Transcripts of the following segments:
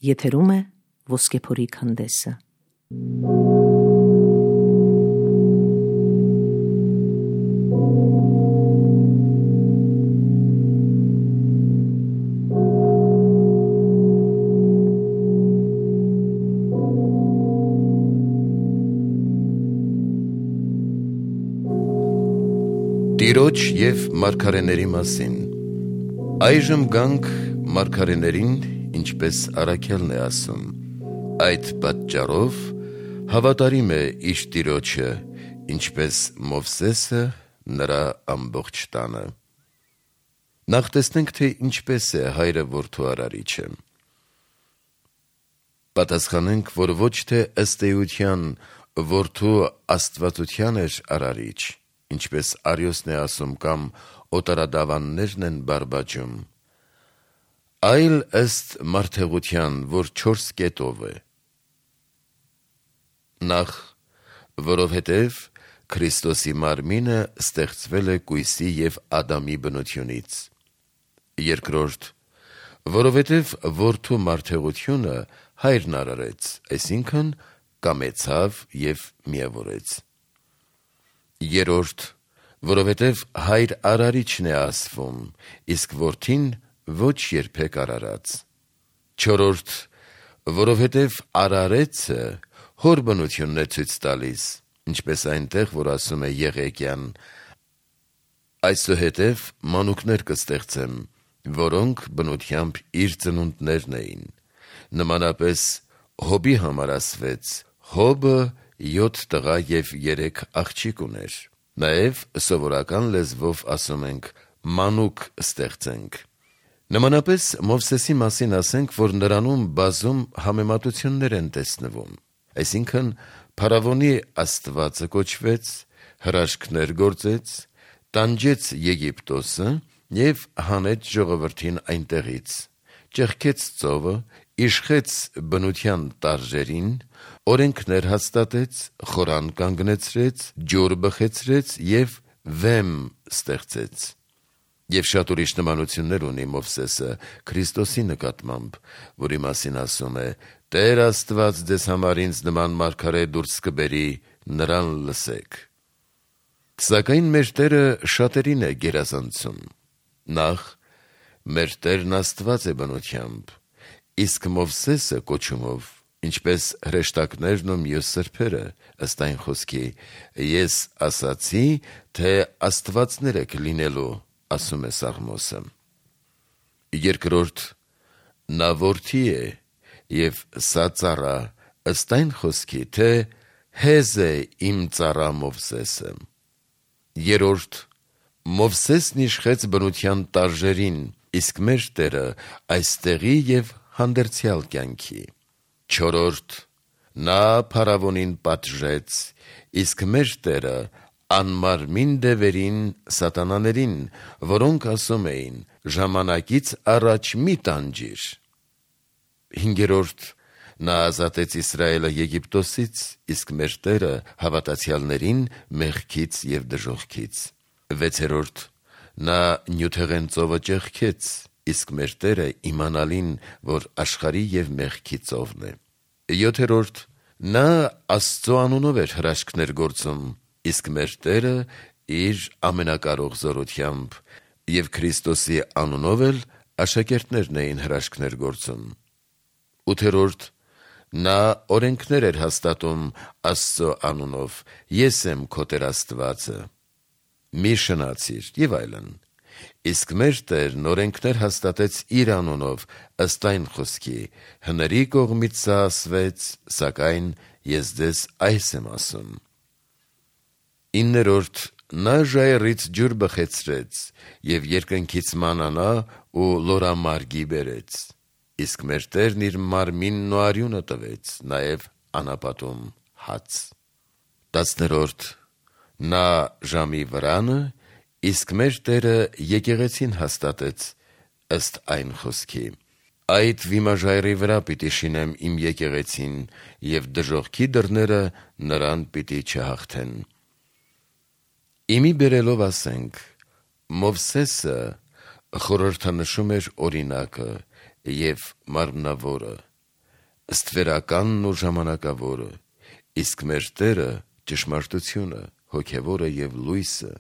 Եթերում է Ոսկեփորի քանդեսը։ Տիրոջ և մարգարեների մասին։ Այժմ գանք մարգարեներին, ինչպես Առաքելն է ասում. այդ պատճառով հավատարիմ է իր Տիրոջը, ինչպես Մովսեսը նրա ամբողջ տանը։ Նախ տեսնենք, թե ինչպես է հայրը որդու արարիչը։ Պատասխանենք, որ ոչ թե ըստ էության որդու աստվածության էր արարիչ, ինչպես Արիոսն է ասում կամ օտարադավաններն են բարբաջում, այլ ըստ մարդեղության, որ 4 կետով է։ Նախ, որովհետև Քրիստոսի մարմինը ստեղծվել է կույսի և Ադամի բնությունից։ Երկրորդ, որովհետև որդու մարդեղությունը հայրն արարեց, այսինքն կամեցավ և միավորեց։ Երրորդ, որովհետև հայր արարիչն է ասվում, իսկ որդին ոչ երբեք արարած։ Չորրորդ, որովհետև արարեցը հոր բնությունն է ցույց տալիս, ինչպես այնտեղ, որ ասում է Եղեկյան. այսուհետև մանուկներ կստեղծեմ, որոնք բնությամբ իր ծնունդներն էին։ Նմանապես Հոբի համար ասվեց. Հոբը 7 տղա և 3 աղջիկ ուներ։ Նաև սովորական լեզվով ասում ենք մանուկ ստեղծենք։ Նմանապես Մովսեսի մասին ասենք, որ նրանում բազում համեմատություններ են տեսնվում, այսինքն փարավոնի աստվածը կոչվեց, հրաշքներ գործեց, տանջեց Եգիպտոսը և հանեց ժողովրդին այնտեղից, ճեղքեց ծովը, իշխեց բնության տարրերին, օրենքներ հաստատեց, խորան կանգնեցրեց, ջուր բխեցրեց և վեմ ստեղծեց։ Եվ շատ ուրիշ նմանություններ ունի Մովսեսը Քրիստոսի նկատմամբ, որի մասին ասում է. Տեր Աստված ձեզ համար ինձ նման մարգարե դուրս կբերի, նրան լսեք։ Սակայն մեր Տերը շատերին է գերազանցում։ Նախ, մեր Տերն Աստված է բնությամբ, իսկ Մովսեսը կոչումով, ինչպես հրեշտակներն ու մյուս սրբերը, ըստ այն խոսքի. ես ասացի, թե աստվածներ եք լինելու, ասում է Սաղմոսը։ Երկրորդ, նա որդի է, և սա ծառա, ըստ այն խոսքի, թե հեզ է իմ ծառա Մովսեսը։ Երրորդ, Մովսեսն իշխեց բնության տարրերին, իսկ մեր Տերը այստեղի և հանդերձյալ կյանքի։ Չորրորդ, նա փարավոնին պատժեց, իսկ մեր Տերը անմարմին դևերին, սատանաներին, որոնք ասում էին. ժամանակից առաջ մի տանջիր։ Հինգերորդ, նա ազատեց Իսրայելը Եգիպտոսից, իսկ մեր Տերը հավատացյալներին մեղքից և դժոխքից։ Վեցերորդ, նա Նյութեղեն ծովը ճեղքեց, իսկ մեր Տերը իմանալին, որ աշխարհի և մեղքի ծովն է։ Յոթերորդ, նա Աստծո անունով էր հրաշքներ գործում, իսկ մեր Տերը իր ամենակարող զորությամբ, և Քրիստոսի անունով էլ աշակերտներն էին հրաշքներ գործում։ Ութերորդ, նա օրենքներ էր հաստատում Աստծո անունով. ես եմ քո Տեր Աստվածը, մի շնացիր և այլն։ Իսկ մեր Տերն օրենքներ հաստատեց իր անունով, ըստ այն խոսքի. հների կողմից սա ասվեց, սակայն ես ձեզ այս եմ ասում։ Իններորդ, նա ժայռից ջուր բխեցրեց և երկնքից մանանա ու լորամարգի բերեց, իսկ մեր Տերն իր մարմինն ու արյունը տվեց, նաև անապատում հաց։ 10-րդ, նա ժամի վրանը, իսկ մեր Տերը եկեղեցին հաստատեց, ըստ այն խոսքի. այդ վիմաժայռի վրա պիտի շինեմ իմ եկեղեցին, և դժոխքի դռները նրան պիտի չհաղթեն։ Իմի բերելով ասենք. Մովսեսը խորհրդանշում էր օրինակը և մարմնավորը, ստվերականն ու ժամանակավորը, իսկ մեր Տերը ճշմարտությունը, հոգևորը եւ լույսը,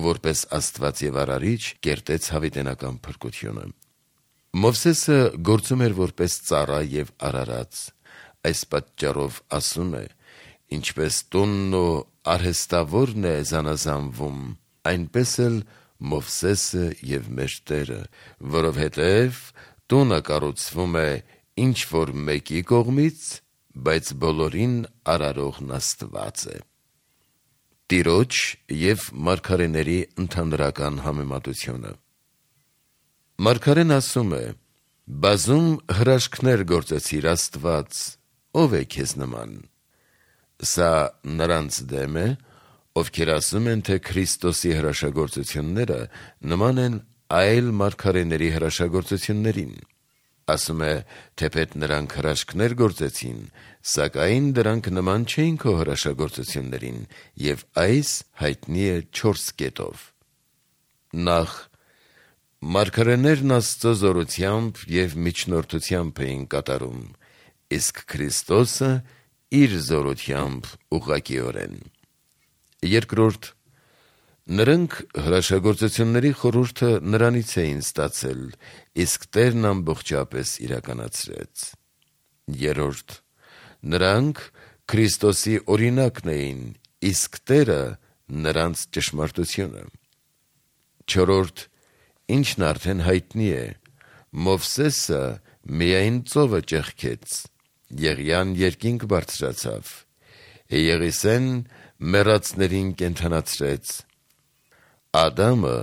որպես Աստված եւ Արարիչ կերտեց հավիտենական փրկությունը։ Մովսեսը գործում էր որպես ծառա եւ արարած, այս պատճառով ասում է. ինչպես տունն ու արհեստավորն է զանազանվում, այնպես էլ Մովսեսը եւ մեր Տերը, որովհետեւ տունը կառուցվում է ինչ որ մեկի կողմից, բայց բոլորին արարողն Աստված է։ Տիրոջ եւ մարգարեների ընդհանրական համեմատությունը։ Մարգարեն ասում է. բազում հրաշքներ գործեցիր Աստված, ով է քեզ նման։ Սա նրանց դեմ է, ովքեր ասում են, թե Քրիստոսի հրաշագործությունները նման են այլ մարգարեների հրաշագործություններին։ Ասում է, թեպետ նրանք հրաշքներ գործեցին, սակայն դրանք նման չէին քո հրաշագործություններին, եւ այս հայտնի է 4 կետով։ Նախ, մարգարեներն Աստծո զորությամբ եւ միջնորդությամբ էին կատարում, իսկ Քրիստոսը իր զորությամբ ուղղակիորեն։ Երկրորդ, նրանք հրաշագործությունների խորհուրդը նրանից էին ստացել, իսկ Տերն ամբողջապես իրականացրեց։ Երրորդ, նրանք Քրիստոսի օրինակն էին, իսկ Տերը նրանց ճշմարտությունը։ Չորրորդ, ինչն արդեն հայտնի է, Մովսեսը միայն ծովը ճեղքեց, Եղիան երկինք բարձրացավ, Եղիսեն մեռածներին կենդանացրեց, Ադամը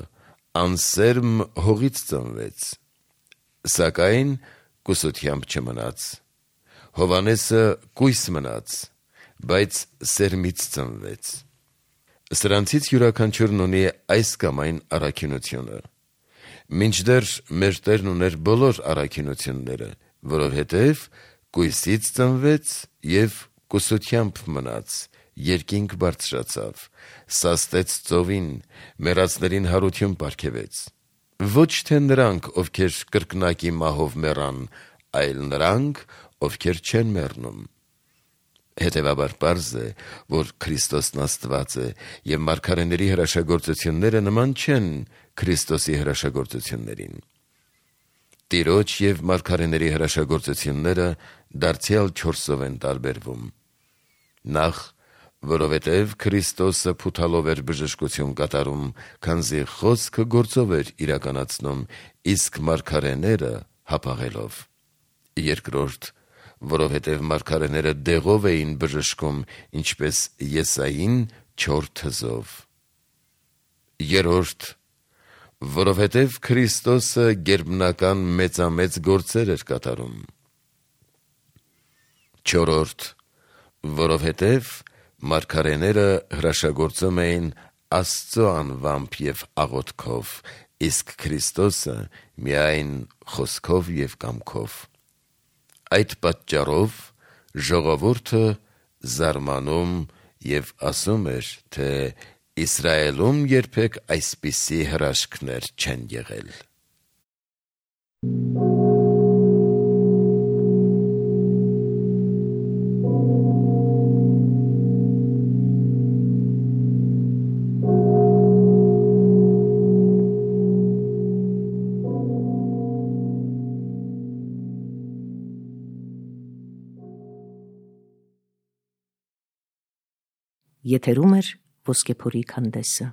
անսերմ հողից ծնվեց, սակայն կուսությամբ չմնաց, Հովհաննեսը կույս մնաց, բայց սերմից ծնվեց։ Սրանցից յուրաքանչյուրն ունի այս կամ այն առաքինությունը, մինչդեռ մեր Տերն ուներ բոլոր առաքինությունները, որովհետև կույսից ծնվեց և կուսությամբ մնաց, երկինք բարձրացավ, սաստեց ծովին, մեռածներին հարություն պարգևեց։ Ոչ թե նրանք, ովքեր կրկնակի մահով մեռան, այլ նրանք, ովքեր չեն մեռնում։ Հետևաբար պարզ է, որ Քրիստոսն Աստված է, և մարգարեների հրաշագործությունները նման չեն Քրիստոսի հրաշագործություններին։ Տիրոջ և մարգարեների հրաշագործությունները դարձյալ 4-ով են տարբերվում։ Նախ, որովհետև Քրիստոսը փութալով էր բժշկություն կատարում, քանզի խոսքը գործով էր իրականացնում, իսկ մարգարեները հապաղելով։ Երկրորդ, որովհետև մարգարեները դեղով էին բժշկում, ինչպես Եսային 4 թզով։ Երրորդ, որովհետև Քրիստոսը գերբնական մեծամեծ գործեր էր կատարում։ Չորրորդ, որովհետև մարգարեները հրաշագործում էին Աստծո անվամբ և աղոթքով, իսկ Քրիստոսը միայն խոսքով և կամքով։ Այդ պատճառով ժողովուրդը զարմանում և ասում էր, թե Իսրայելում երբեք այսպիսի հրաշքներ չեն եղել։ Եթերում է Ոսկեփորի քանդեսը։